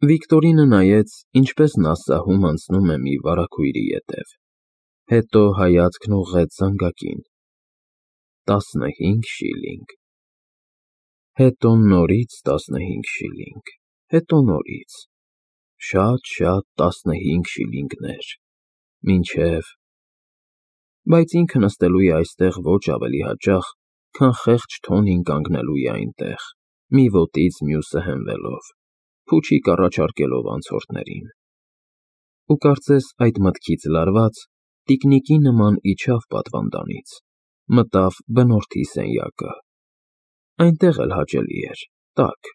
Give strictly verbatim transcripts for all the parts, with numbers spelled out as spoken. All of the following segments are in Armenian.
Վիկտորինը նայեց, ինչպես նա սահում անցնում է մի վարագույրի ետև, հետո հայացքն ուղղեց զանգակին. տասնհինգ շիլինգ… Հետո նորից տասնհինգ շիլինգ, հետո նորից… Շատ֊շատ տասնհինգ շիլինգներ… Մինչև… Բայց ինքը նստելու է այստեղ ոչ ավելի հաճախ, քան խեղճ Թոնին կանգնելու է այնտեղ, մի ոտից մյուսը հենվելով, փուչիկ առաջարկելով անցորդներին… Ու կարծես այդ մտքից լարված, տիկնիկի նման իջավ պատվանդանից, մտավ բնորդի սենյակը… Այնտեղ էլ հաճելի էր, տաք,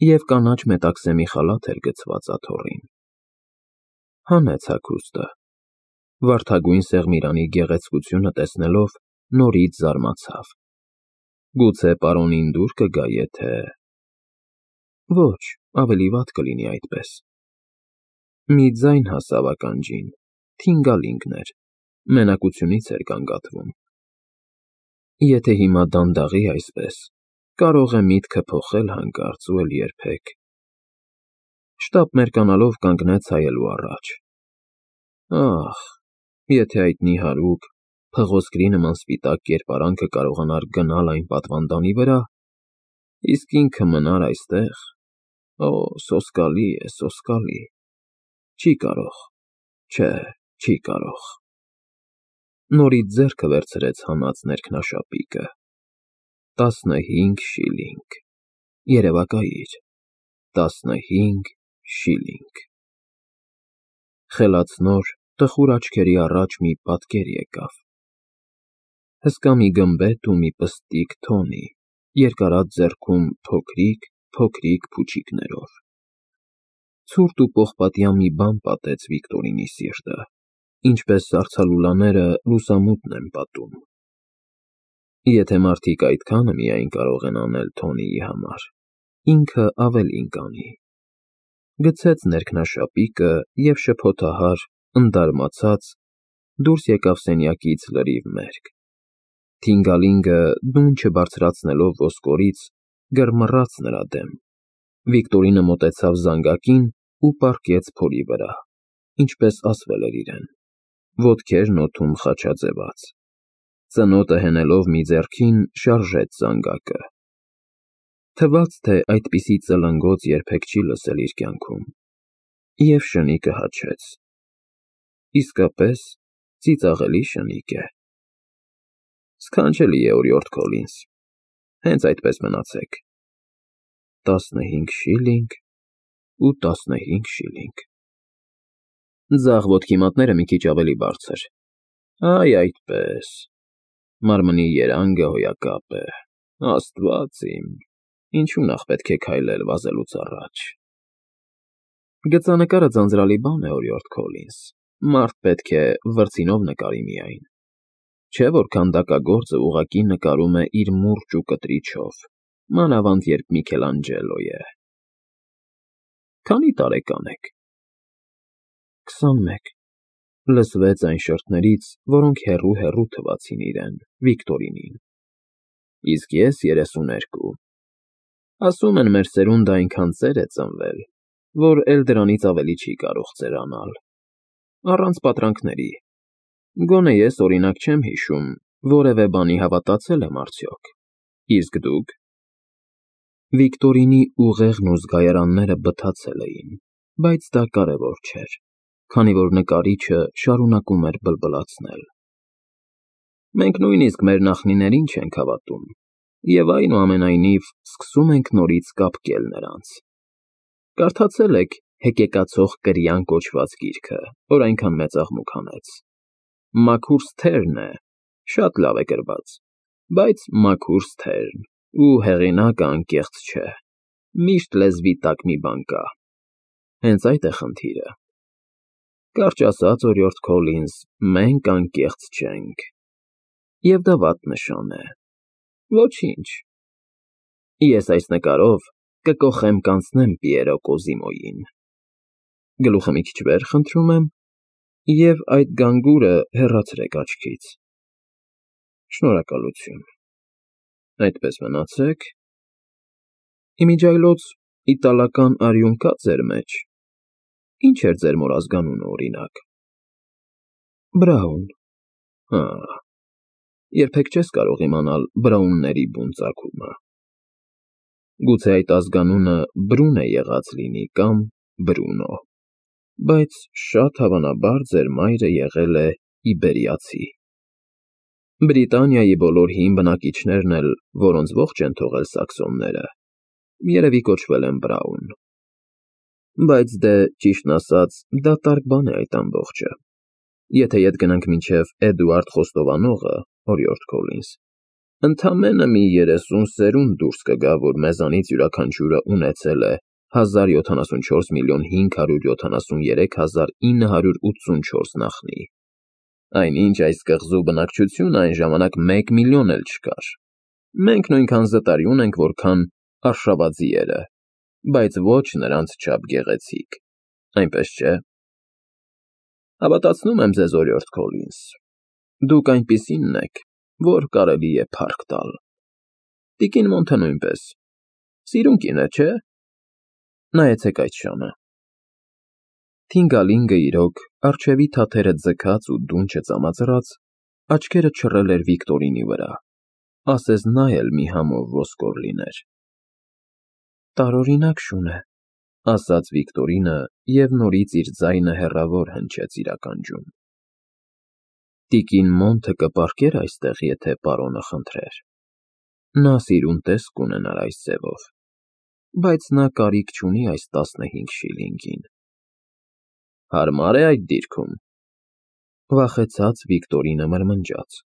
և կանաչ մետաքսեմի խալաթ էր գցված աթոռին… Հանեց հագուստը… Վարդագույն սեղմիրանի գեղեցկությունը տեսնելով, նորից զարմացավ… Գուցե պարոնին դուր կգա, եթե… Ոչ, ավելի վատ կլինի այդպես… Մի ձայն հասավ ականջին, թինգալինգն էր, մենակությունից էր գանգատվում… Եթե հիմա դանդաղի այսպես, կարող է միտքը փոխել հանկարծ ու էլ երբեք… Շտապ մերկանալով կանգնեց հայելու առաջ… Ախ, եթե այդ նիհարուկ, փղոսկրի նման սպիտակ կերպարանքը կարողանար գնալ այն պատվանդանի վրա, իսկ ինքը մնար այստեղ… Օ, սոսկալի է, սոսկալի… Չի կարող, չէ, չի կարող… Նորից ձեռքը վերցրեց հանած ներքնաշապիկը… Տասնհինգ շիլինգ… Երևակայիր… Տասնհինգ շիլինգ… Խելացնոր, տխուր աչքերի առաջ մի պատկեր եկավ… Հսկա մի գմբեթ ու մի պստիկ Թոնի, երկարած ձեռքում փոքրիկ֊փոքրիկ փուչիկներով… Ցուրտ ու պողպատյա մի բան պատեց Վիկտորինի սիրտը, ինչպես սառցալուլաները լուսամուտն են պատում… Եթե մարդիկ այդքանը միայն կարող են անել Թոնիի համար, ինքը ավելին կանի… Գցեց ներքնաշապիկը և շփոթահար, ընդարմացած, դուրս եկավ սենյակից լրիվ մերկ… Թինգալինգը, դուն չբարձրացնելով ոսկորից, գրմռաց նրա դեմ… Վիկտորինը մոտեցավ զանգակին ու պառկեց փորի վրա, ինչպես ասվել էր իրեն, ոտքերն օդում խաչաձևած… Ծնոտը հենելով մի ձեռքին, շարժեց զանգակը… Թվաց, թե այդպիսի ծլնգոց երբեք չի լսել իր կյանքում… Եվ շնիկը հաչեց… Իսկապես, ծիծաղելի շնիկ է… Սքանչելի է, օրիորդ Քոլինս, հենց այդպես մնացեք… Տասնհինգ շիլինգ ու տասնհինգ շիլինգ… Ձախ ոտքի մատները մի քիչ ավելի բարձր… Այ այդպես… Մարմնի երանգը հոյակապ է… Աստված իմ… Ինչու նախ պետք է քայլել վազելուց առաջ… Գծանկարը ձանձրալի բան է, օրիորդ Քոլինս, մարդ պետք է վրձինով նկարի միայն… Չէ որ քանդակագործը ուղղակի նկարում է իր մուրճ ու կտրիչով, մանավանդ երբ Միքելանջելո է… Քանի՞ տարեկան եք… Քսանմեկ… Լսվեց այն շրթներից, որոնք հեռու֊հեռու թվացին իրեն, Վիկտորինին… Իսկ ես երեսուներկու… Ասում են, մեր սերունդը այնքան ծեր է ծնվել, որ էլ դրանից ավելի չի կարող ծերանալ… Առանց պատրանքների… Գոնե ես, օրինակ, չեմ հիշում, որևէ բանի հավատացել եմ արդյոք… Իսկ դուք… Վիկտորինի ուղեղն ու զգայարանները բթացել էին, բայց դա կարևոր չէր, քանի որ նկարիչը շարունակում էր բլբլացնել… Մենք նույնիսկ մեր նախնիներին չենք հավատում և, այնուամենայնիվ, սկսում ենք նորից կապկել նրանց… Կարդացե՞լ եք Հեկեկացող կրիան կոչված գիրքը, որ այնքան մեծ աղմուկ հանեց… Մաքուր սթերն է, շատ լավ է գրված, բայց մաքուր սթերն ու հեղինակը անկեղծ չէ, միշտ լեզվի տակ մի բան կա… Հենց այդ է խնդիրը… Կարճ ասած, օրիորդ Քոլինս, մենք անկեղծ չենք… Եվ դա վատ նշան է… Ոչինչ… Ես այս նկարով կկոխեմ-կանցնեմ Պիերո Կոզիմոյին… Գլուխը մի քիչ վեր, խնդրում եմ, և այդ գանգուրը հեռացրեք աչքից… Շնորհակալություն… Այդպես մնացեք… Ի միջիայլոց Իտալական արյուն կա ձեր մեջ։ Ինչ էր ձեր մոր ազգանունը, օրինակ։ Բրաուն։ Հա, երբեք չես կարող իմանալ Բրաունների բուն ծագումը։ Գուցե այդ ազգանունը Բրուն է եղած լինի կամ Բրունո, բայց շատ հավանաբար ձեր մայրը եղել է իբերիացի։ Բրիտանիայի բոլոր հին բնակիչներն էլ, որոնց ողջ են թողել սաքսոնները, երևի կոչվել են Բրաուն։ Բայց դե, ճիշտն ասած, դատարկ բան է այդ ամբողջը։ Եթե ետ գնանք մինչև Էդուարդ Խոստովանողը, օրիորդ Քոլինս, ընդամենը մի երեսուն սերունդ դուրս կգա, որ մեզանից յուրաքանչյուրը ունեցել է հազար յոթանասունչորս միլիոն հինգ հարյուր յոթանասուներեք հազար ինը հարյուր ութսունչորս նախնի, այնինչ այս կղզու բնակչությունը այն ժամանակ մեկ միլիոն էլ չկար։ Մենք նույնքան զտարի ունենք, որքան արշավաձիերը, բայց ոչ նրանց չափ գեղեցիկ, այնպես չէ։ Հավատացնում եմ ձեզ, օրիորդ Քոլինս, դուք այնպիսինն եք, որ կարելի է փառք տալ։ Տիկին Մոնթը նույնպես, սիրուն կին է, չէ՞։ Նայեցեք այդ շանը։ Թինգալինգը իրոք, առջևի թաթերը ձգած ու դունչը ծամածրած, աչքերը չռել էր Վիկտորինի վրա, ասես նա էլ մի համով ոսկոր լիներ։ Տարօրինակ շուն է, ասաց Վիկտորինը և նորից իր ձայնը հեռավոր հնչեց իր ականջում։ Տիկին Մոնթը կպառկեր այստեղ, եթե պարոնը խնդրեր։ Նա սիրուն տեսք կունենար այս ձևով, բայց նա կարիք չունի այս տասնհինգ շիլինգին։ Հարմար է այդ դիրքում։ Վախեցած Վիկտորինը մրմնջաց.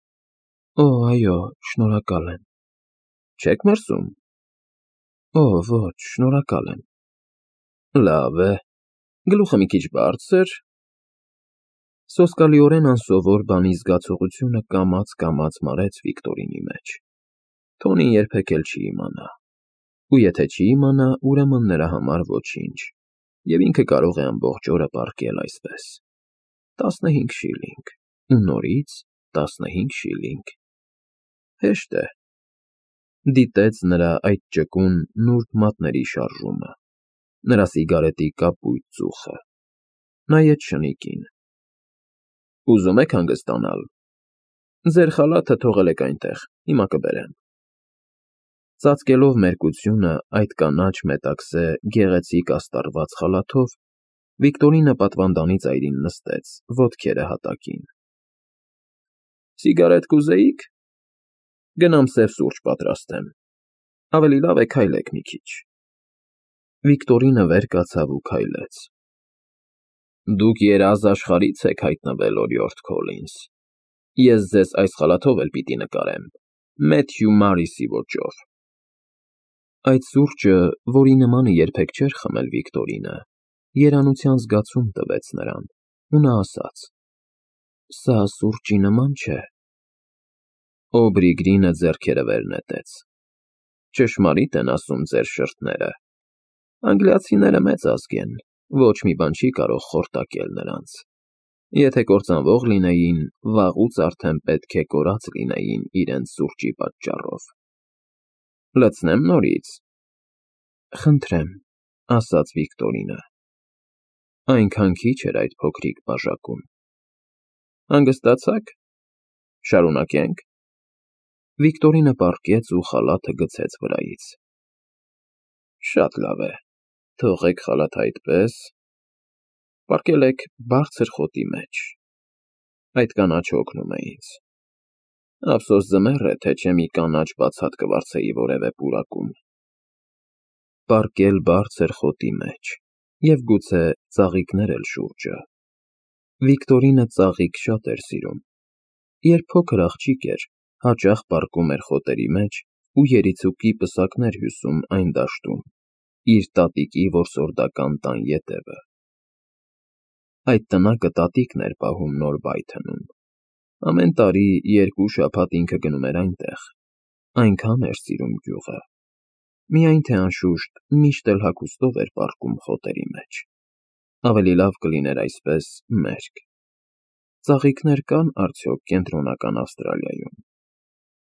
Օ, այո, շնորհակալ եմ։ Չեք մրսում։ Օ, ոչ, շնորհակալ եմ։ Լավ է, գլուխը մի քիչ բարձր։ Սոսկալիորեն անսովոր բանի զգացողությունը կամաց-կամաց մարեց Վիկտորինի մեջ։ Թոնին երբեք էլ չի իմանա։ Ու եթե չի իմանա, ուրեմն նրա համար ոչինչ, և ինքը կարող է ամբողջ օրը պառկել այսպես։ Տասնհինգ շիլինգ, ու նորից տասնհինգ շիլինգ։ Հեշտ է։ Դիտեց նրա այդ ճկուն, նուրբ մատների շարժումը, նրա սիգարետի կապույտ ծուխը, նայեց շնիկին։ Ուզում եք հանգստանալ։ Ձեր խալաթը թողել եք այնտեղ, հիմա կբերեմ։ Ծածկելով մերկությունը այդ կանաչ մետաքսե գեղեցիկ աստառված խալաթով, Վիկտորինը պատվանդանի ծայրին նստեց, ոտքերը հատակին։ Սիգարետ կուզեիք։ Գնամ սև սուրճ պատրաստեմ։ Ավելի լավ է քայլեք մի քիչ։ Վիկտորինը վեր կացավ ու քայլեց։ Դուք երազ աշխարհից եք հայտնվել, օրիորդ Քոլինս։ Ես ձեզ այս խալաթով էլ պիտի նկարեմ, Մեթյու Մարիսի ոճով։ Այդ սուրճը, որի նմանը երբեք չէր խմել Վիկտորինը, երանության զգացում տվեց նրան, ու նա ասաց. Սա սուրճի նման չէ։ Օբրիգրինը ձեռքերը վեր նետեց։ Ճշմարիտ են ասում ձեր շրթները։ Անգլիացիները մեծ ազգ են, ոչ մի բան չի կարող խորտակել նրանց։ Եթե կործանվող լինեին, վաղուց արդեն պետք է կորած լինեին իրենց սուրճի պատճառով։ Լցնեմ նորից։ Խնդրեմ, ասաց Վիկտորինը։ Այնքան քիչ էր այդ փոքրիկ բաժակում։ Հանգստացաք։ Շարունակենք։ Վիկտորինը պառկեց ու խալաթը գցեց վրայից։ Շատ լավ է, թողեք խալաթը այդպես։ Պառկել եք բարձր խոտի մեջ։ Այդ կանաչը օգնում է ինձ։ Ափսոս ձմեռ է, թե չէ մի կանաչ բացատ կվարձեի որևէ պուրակում։ Պառկել բարձր խոտի մեջ, և գուցե ծաղիկներ էլ շուրջը։ Վիկտորինը ծաղիկ շատ էր սիրում։ Երբ փոքր աղջիկ էր, հաճախ պառկում էր խոտերի մեջ ու երիցուկի պսակներ հյուսում այն դաշտում, իր տատիկի որսորդական տան ետևը։ Այդ տնակը տատիկն էր պահում նոր Բայթնում։ Ամեն տարի երկու շաբաթ ինքը գնում էր այնտեղ, այնքան էր սիրում գյուղը։ Միայն թե անշուշտ միշտ էլ հագուստով էր պառկում խոտերի մեջ։ Ավելի լավ կլիներ այսպես մերկ։ Ծաղիկներ կան արդյոք կենտրոնական Ավստրալիայում։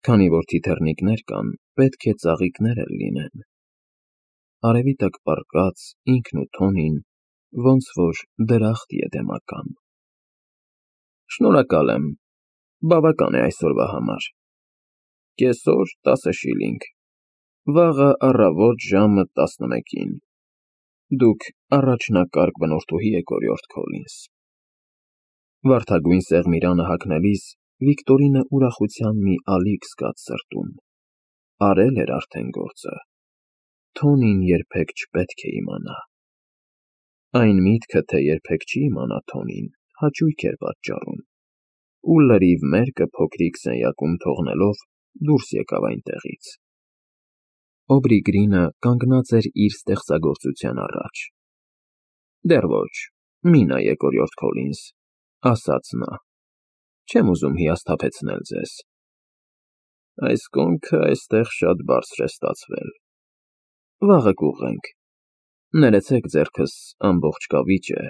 Քանի որ թիթեռնիկներ կան, պետք է ծաղիկներ էլ լինեն։ արևի տակ պառկած ինքն ու Թոնին, ոնց որ դրախտ եդեմական։ Շնորհակալ եմ, բավական է այսօրվա համար։ Կեսօր տասը շիլինգ, վաղը առավոտ ժամը տասնմեկին։ Դուք առաջնակարգ բնորդուհի եք, օրիորդ Քոլինս։ Վարդագույն սեղմիրանը հագնելիս Վիկտորինը ուրախության մի ալիք զգաց սրտում։ Արել էր արդեն գործը։ Թոնին երբեք չպետք է իմանա։ Այն միտքը, թե երբեք չի իմանա Թոնին, հաճույք էր պատճառում, ու լրիվ մերկը փոքրիկ սենյակում թողնելով դուրս եկավ այնտեղից։ Օբրիգրինը կանգնած էր իր ստեղծագործության առաջ։ Դեռ ոչ, մի նայեք, օրիորդ Քոլինս, ասաց նա, չեմ ուզում հիասթափեցնել ձեզ։ Այս կոնքը այստեղ շատ բարձր է ստացվել։ Վաղը կուղղենք։ Ներեցեք, ձեռքս ամբողջ կավիճ է։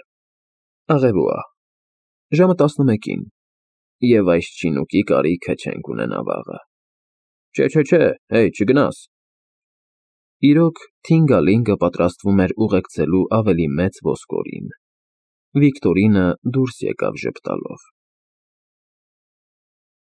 Աղևուա, ժամը տասնմեկին, և այս չինուկի կարիքը չենք ունենա վաղը։ Չէ, չէ, չէ, հեյ, չգնաս։ Իրոք, Թինգալինգը պատրաստվում էր ուղեկցելու ավելի մեծ ոսկորին։ Վիկտորինը դուրս եկավ ժպտալով։